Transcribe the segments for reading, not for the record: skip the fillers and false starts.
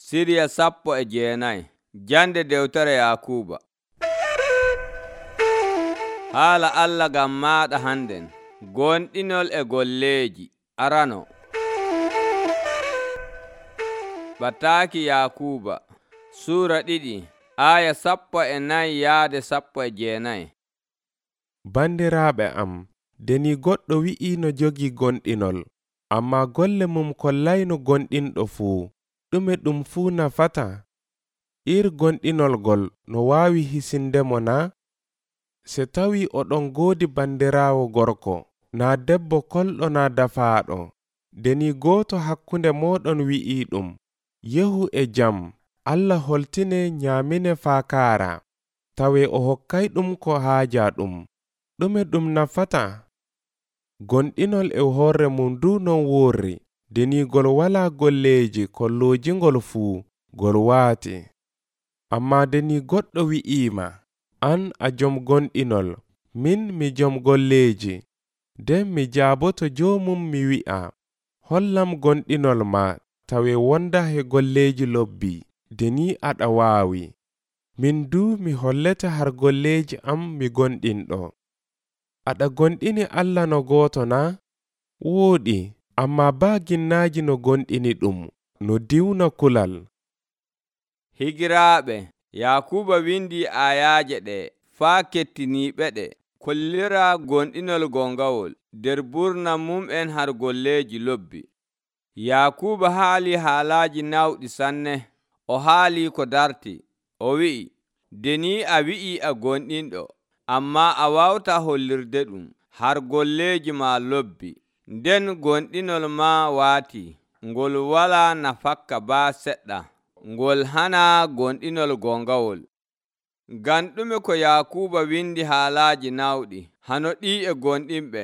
Siriya 19 Jande dewtere Yakuuba. Haala Allah ngam maaɗa hannden, gonɗinol e golleeji. Arano Bataaki Yakuuba Suura 2 aya 14 yaade 19. Bandiraaɓe am, deni goɗɗo wi'i no jogii gonɗinol, ammaa golle mum kollayno gonɗinɗo fuu, ɗume ɗum fuu nafata? Gonɗinol gol no waawi hisindemo na? Se tawi oɗon goodi bandiraawo gorko, naa debbo kolɗo naa dafaaɗo, deni gooto hakkunde mooɗon wi'i ɗum, yehu e jam, Allah holtine nyaamine faa kaara, tawe o hokkayɗum ko haaja ɗum, ɗume ɗum nafata? Gonɗinol e hoore mum du non worri, deni gol walaa golleeji kolloojingol fuu, gol waati. Ammaa deni goɗɗo wi'iima, an a jom gonɗinol, min mi jom golleeji, nden mi jaaboto joomum mi wi'a, hollam gonɗinol ma tawe wonda he golleeji lobbi, deni aɗa waawi. Min du mi hollete har golleeji am mi gonɗinɗo. Aɗa gonɗini Allah no gooto na? Wooɗi, ammaa baa ginnaaji no gonɗini ɗum, no diwna kulal. Higiraaɓe, Yakuuba windi ayaaje ɗe faa kettiniiɓe ɗe, kollira gonɗinol gongawol nder burna mum'en har golleeji lobbi. Yakuuba haali haalaaji nawɗi sanne, o haali ko darti, o wi'i, deni a wi'i a gonɗinɗo, ammaa a wawta hollirde ɗum har golleeji ma lobbi, nden gonɗinol ma waati, ngol walaa nafakka baa seɗɗa, ngol hana gonɗinol gongawol. Ngam ɗume ko Yakuuba windi haalaaji nawɗi hano ɗi e gonɗinɓe?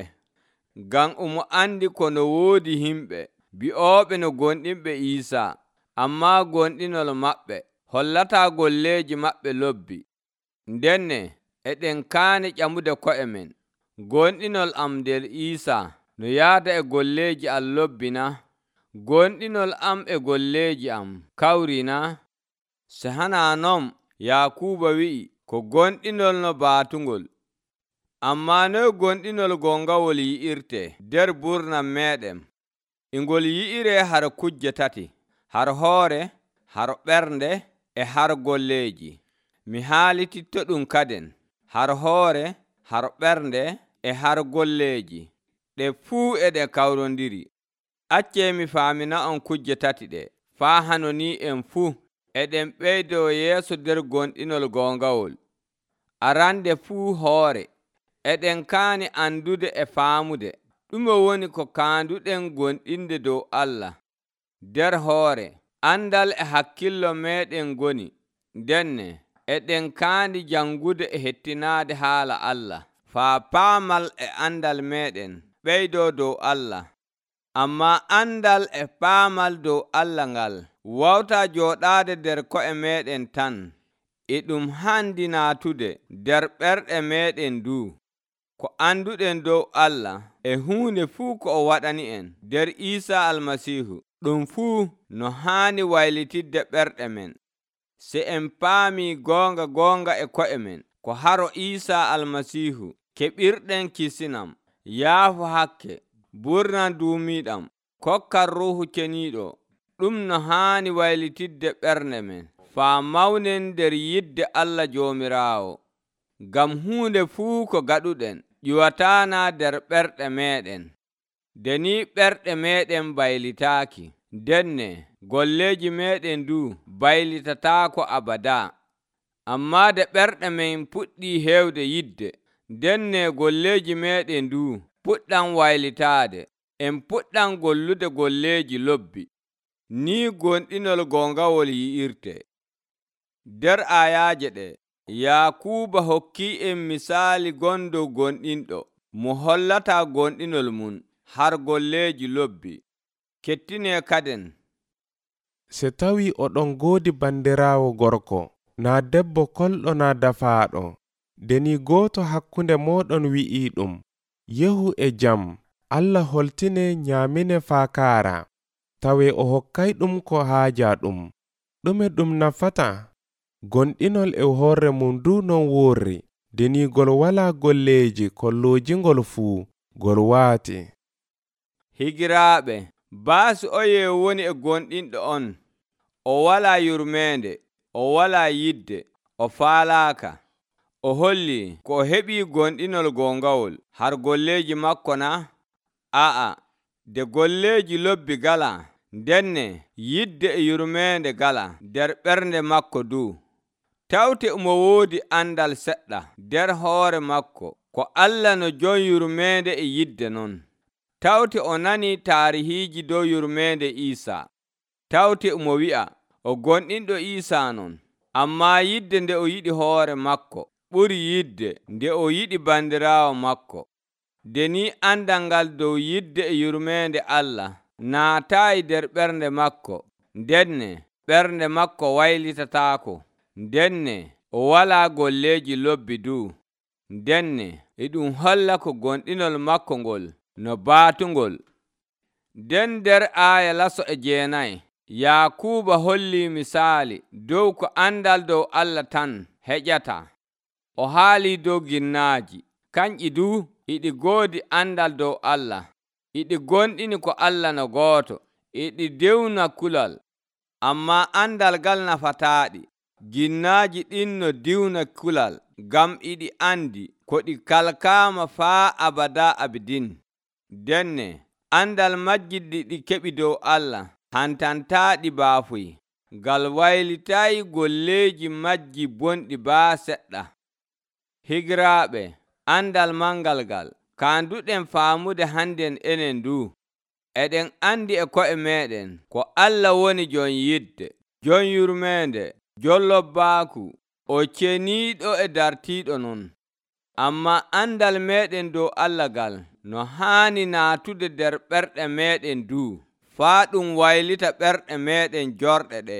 Ngam omo andi kono woodi himɓe bi'ooɓe no gonɗinɓe Iisaa, ammaa gonɗinol maɓɓe hollataa golleeji maɓɓe lobbi. Ndenne eɗen kaani ƴamude ko'e men, gonɗinol am nder Iisaa no yaada e golleeji am lobbi na? Gonɗinol am e golleeji am kawri na? Se hana non, Yakuuba wi'i ko gonɗinol no baatungol. Ammaa noy gonɗinol gongawol yi'irte nder burnam meɗen? Ngol yi'ire har kujje tati, har hoore, har ɓernde, e har golleeji. Mi haalititto ɗum kaden, har hoore, har ɓernde, e har golleeji. Ɗe fuu e ɗe kawrondiri. Accee mi faamina on kujje tati ɗe, faa hano ni en fuu eɗen ɓeydo yeeso nder gonɗinol gongawol. Arande fuu hoore, eɗen kaani andude e faamude ɗume woni ko kaanduɗen gonɗinde dow Allah. Nder hoore, andal e hakkillo meɗen goni, ndenne eɗen kaandi jangude e hettinaade haala Allah, faa paamal e andal meɗen ɓeydo dow Allah. Ammaa andal e paamal dow Allah ngal wawta jooɗaade nder ko'e meɗen tan, e ɗum handi naatude nder ɓerɗe meɗen du. Ko anduɗen dow Allah e huunde fuu ko o waɗani en nder Iisaa Almasiihu, ɗum fuu no haani waylitidde ɓerɗe men. Se en paami goonga e ko'e men ko haro Iisaa Almasiihu keɓirɗen kisinam, yaafu hakke, burnan duumiiɗam, kokkan Ruuhu Ceniiɗo, ɗum no haani waylitidde ɓernde men, faa mawnen nder yidde Allah Joomiraawo. Ngam huunde fuu ko gaɗuɗen ƴiwataana nder ɓerɗe meɗen. Deni ɓerɗe meɗen baylitaaki, ndenne golleeji meɗen du baylitataako abada. Ammaa de ɓerɗe men puɗɗi heewde yidde, ndenne golleeji meɗen du puɗɗan waylitaade, en puɗɗan gollude golleeji lobbi. Ni gonɗinol gongawol yi'irte. Nder ayaaje ɗe, Yakuuba hokki en misaali gondo gonɗinɗo mo hollata gonɗinol mum har golleeji lobbi. Kettine kaden. Se tawi oɗon goodi bandiraawo gorko, naa debbo kolɗo naa dafaaɗo, deni gooto hakkunde mooɗon wi'i ɗum, yehu e jam, Allah holtine nyaamine faa kaara, tawe o hokkayɗum ko haaja ɗum, ɗume ɗum nafata? Gonɗinol e hoore mum du non worri, deni gol walaa golleeji kolloojingol fuu, gol waati. Higiraaɓe, baasi oye woni e gonɗinɗo on. O walaa yurmeende, o walaa yidde, o faalaaka. O holli ko o heɓii gonɗinol gongawol har golleeji makko na? A'a, de golleeji lobbi galaa, ndenne yidde e yurmeende galaa nder ɓernde makko du. Tawte mo woodi andal seɗɗa nder hoore makko, ko Allah no jon yurmeende e yidde non. Tawte o nani taarihiiji dow yurmeende Iisaa. Tawte mo wi'a o gonɗinɗo Iisaa non, ammaa yidde nde o yiɗi hoore makko ɓuri yidde nde o yiɗi bandiraawo makko. Deni andal ngal dow yidde e yurmeende Allah naataayi nder ɓernde makko, ndenne ɓernde makko waylitataako. Ndenne o walaa golleeji lobbi du. Ndenne e ɗum holla ko gonɗinol makko ngol no baatungol. Nden nder aaya laso e 9, Yaakuuba holli misaali dow ko andal dow Allah tan heƴata. O haali dow ginnaaji, kanƴi du iɗi goodi andal dow Allah, iɗi gonɗini ko Allah no gooto, iɗi dewna kulal, ammaa andal ngal nafataaɗi. Ginnaaji ɗin no diwna kulal, ngam iɗi andi ko ɗi kalkaama faa abada abidin. Denne andal majjiddi ɗi keɓi dow Allah hantantaaɗi baafuy, ngal waylitaayi golleeji majji bonɗi baa seɗɗa. Higiraaɓe, andal mangal ngal kaanduɗen faamude hannden enen du. Eɗen andi e ko'e meɗen ko Allah woni jon yidde, jon yurmeende, jon lobbaaku, o ceniiɗo e dartiiɗo non. Ammaa andal meɗen dow Allah ngal no haani naatude nder ɓerɗe meɗen du, faa ɗum waylita ɓerɗe meɗen jorɗe ɗe.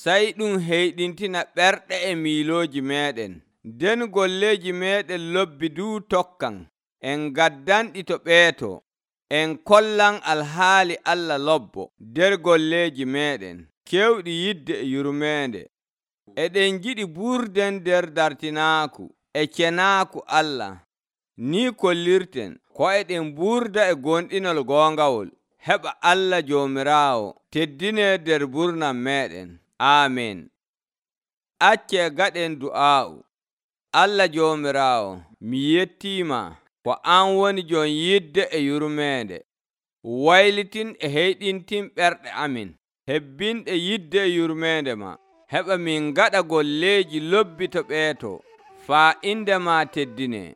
Sey ɗum heyɗintina ɓerɗe e miilooji meɗen. Nden golleeji meɗen lobbi du tokkan, en gaddanɗi to ɓeeto, en kollan alhaali Allah lobbo nder golleeji meɗen, kewɗi yidde e yurmeende. Eɗen jiɗi burden nder dartinaaku e cenaaku Allah. Ni kollirten ko eɗen burda e gonɗinol goongawol, heɓa Allah Joomiraawo teddine nder burnam meɗen. Aamen. Accee gaɗen du'aa'u. Allah Joomiraawo, mi yettiima ko an woni jon yidde e yurmeende. Waylitin e heyɗintin ɓerɗe amin, hebbinɗe yidde e yurmeende ma, heɓa min gaɗa golleeji lobbi to ɓeeto, faa inde ma teddine.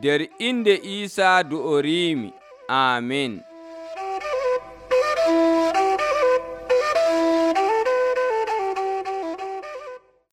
Der inde Iisaa du'oriimi. Aamen.